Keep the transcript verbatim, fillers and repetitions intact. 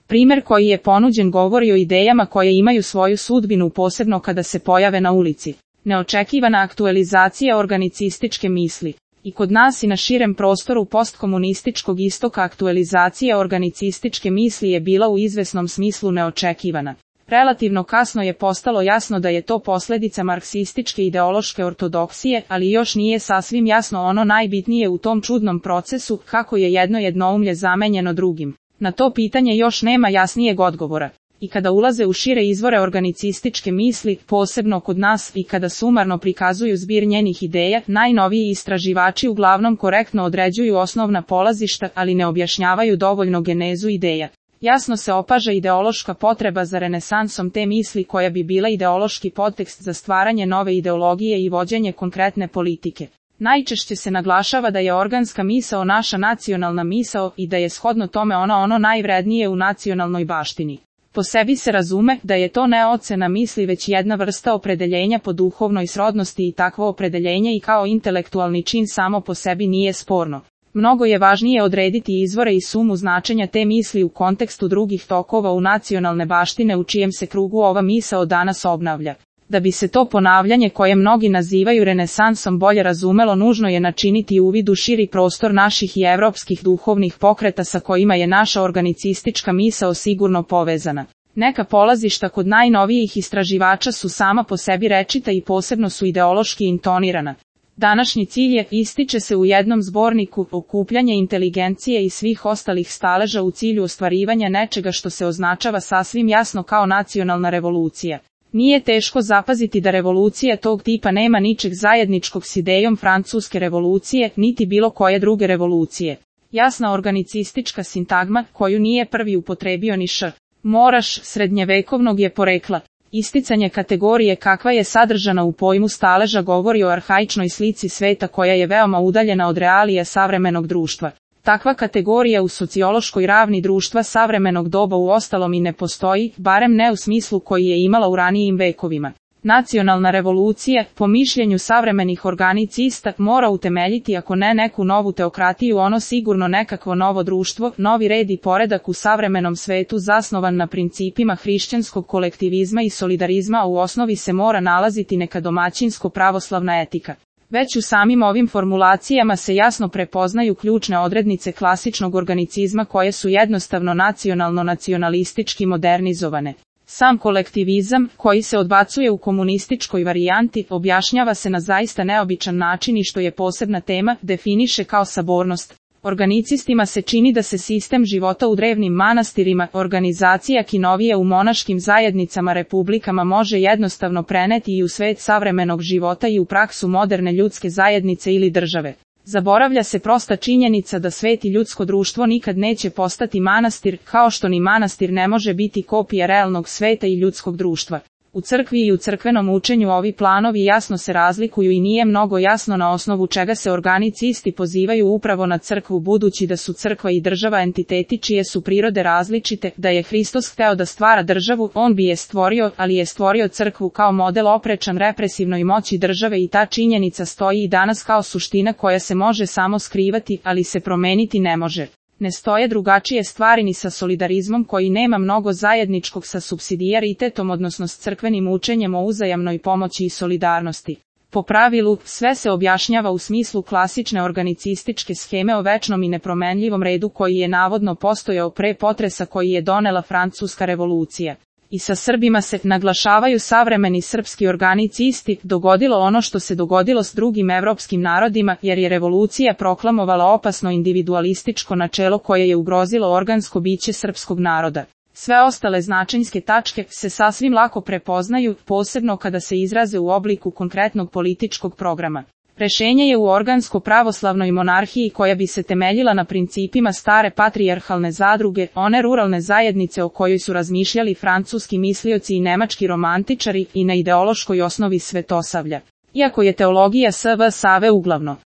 Primer koji je ponuđen govori o idejama koje imaju svoju sudbinu posebno kada se pojave na ulici. Neočekivana aktualizacija organicističke misli. I kod nas i na širem prostoru postkomunističkog istoka aktualizacija organicističke misli je bila u izvesnom smislu neočekivana. Relativno kasno je postalo jasno da je to posljedica marksističke ideološke ortodoksije, ali još nije sasvim jasno ono najbitnije u tom čudnom procesu, kako je jedno jednoumlje zamenjeno drugim. Na to pitanje još nema jasnijeg odgovora. I kada ulaze u šire izvore organicističke misli, posebno kod nas, i kada sumarno prikazuju zbir njenih ideja, najnoviji istraživači uglavnom korektno određuju osnovna polazišta, ali ne objašnjavaju dovoljno genezu ideja. Jasno se opaža ideološka potreba za renesansom te misli koja bi bila ideološki podtekst za stvaranje nove ideologije i vođenje konkretne politike. Najčešće se naglašava da je organska misao naša nacionalna misao i da je shodno tome ona ono najvrednije u nacionalnoj baštini. Po sebi se razume da je to ne ocena misli već jedna vrsta opredeljenja po duhovnoj srodnosti i takvo opredeljenje i kao intelektualni čin samo po sebi nije sporno. Mnogo je važnije odrediti izvore i sumu značenja te misli u kontekstu drugih tokova u nacionalne baštine u čijem se krugu ova misao danas obnavlja. Da bi se to ponavljanje koje mnogi nazivaju renesansom bolje razumelo, nužno je načiniti uvid u širi prostor naših i evropskih duhovnih pokreta sa kojima je naša organicistička misao sigurno povezana. Neka polazišta kod najnovijih istraživača su sama po sebi rečita i posebno su ideološki intonirana. Današnji cilj je, ističe se u jednom zborniku, okupljanje inteligencije i svih ostalih staleža u cilju ostvarivanja nečega što se označava sasvim jasno kao nacionalna revolucija. Nije teško zapaziti da revolucija tog tipa nema ničeg zajedničkog s idejom francuske revolucije, niti bilo koje druge revolucije. Jasna organicistička sintagma, koju nije prvi upotrebio ni Š. Moraš, srednjevekovnog je porekla. Isticanje kategorije kakva je sadržana u pojmu staleža govori o arhaičnoj slici sveta koja je veoma udaljena od realija savremenog društva. Takva kategorija u sociološkoj ravni društva savremenog doba u ostalom i ne postoji, barem ne u smislu koji je imala u ranijim vekovima. Nacionalna revolucija, po mišljenju savremenih organicista, mora utemeljiti ako ne neku novu teokratiju, ono sigurno nekakvo novo društvo, novi red i poredak u savremenom svetu zasnovan na principima hrišćanskog kolektivizma i solidarizma, a u osnovi se mora nalaziti neka domaćinsko pravoslavna etika. Već u samim ovim formulacijama se jasno prepoznaju ključne odrednice klasičnog organicizma koje su jednostavno nacionalno-nacionalistički modernizovane. Sam kolektivizam, koji se odbacuje u komunističkoj varijanti, objašnjava se na zaista neobičan način i što je posebna tema, definiše kao sabornost. Organicistima se čini da se sistem života u drevnim manastirima, organizacija kinovije u monaškim zajednicama republikama može jednostavno preneti i u svet savremenog života i u praksu moderne ljudske zajednice ili države. Zaboravlja se prosta činjenica da svet i ljudsko društvo nikad neće postati manastir, kao što ni manastir ne može biti kopija realnog sveta i ljudskog društva. U crkvi i u crkvenom učenju ovi planovi jasno se razlikuju i nije mnogo jasno na osnovu čega se organicisti pozivaju upravo na crkvu, budući da su crkva i država entiteti čije su prirode različite. Da je Hristos hteo da stvara državu, on bi je stvorio, ali je stvorio crkvu kao model oprečan represivnoj moći države i ta činjenica stoji i danas kao suština koja se može samo skrivati, ali se promeniti ne može. Ne stoje drugačije stvari ni sa solidarizmom koji nema mnogo zajedničkog sa supsidijaritetom, odnosno s crkvenim učenjem o uzajamnoj pomoći i solidarnosti. Po pravilu, sve se objašnjava u smislu klasične organicističke scheme o večnom i nepromenljivom redu koji je navodno postojao pre potresa koji je donela Francuska revolucija. I sa Srbima se, naglašavaju savremeni srpski organicisti, dogodilo ono što se dogodilo s drugim evropskim narodima, jer je revolucija proklamovala opasno individualističko načelo koje je ugrozilo organsko biće srpskog naroda. Sve ostale značajnske tačke se sasvim lako prepoznaju, posebno kada se izraze u obliku konkretnog političkog programa. Rešenje je u organsko-pravoslavnoj monarhiji koja bi se temeljila na principima stare patrijarhalne zadruge, one ruralne zajednice o kojoj su razmišljali francuski mislioci i nemački romantičari, i na ideološkoj osnovi svetosavlja. Iako je teologija S V Save uglavno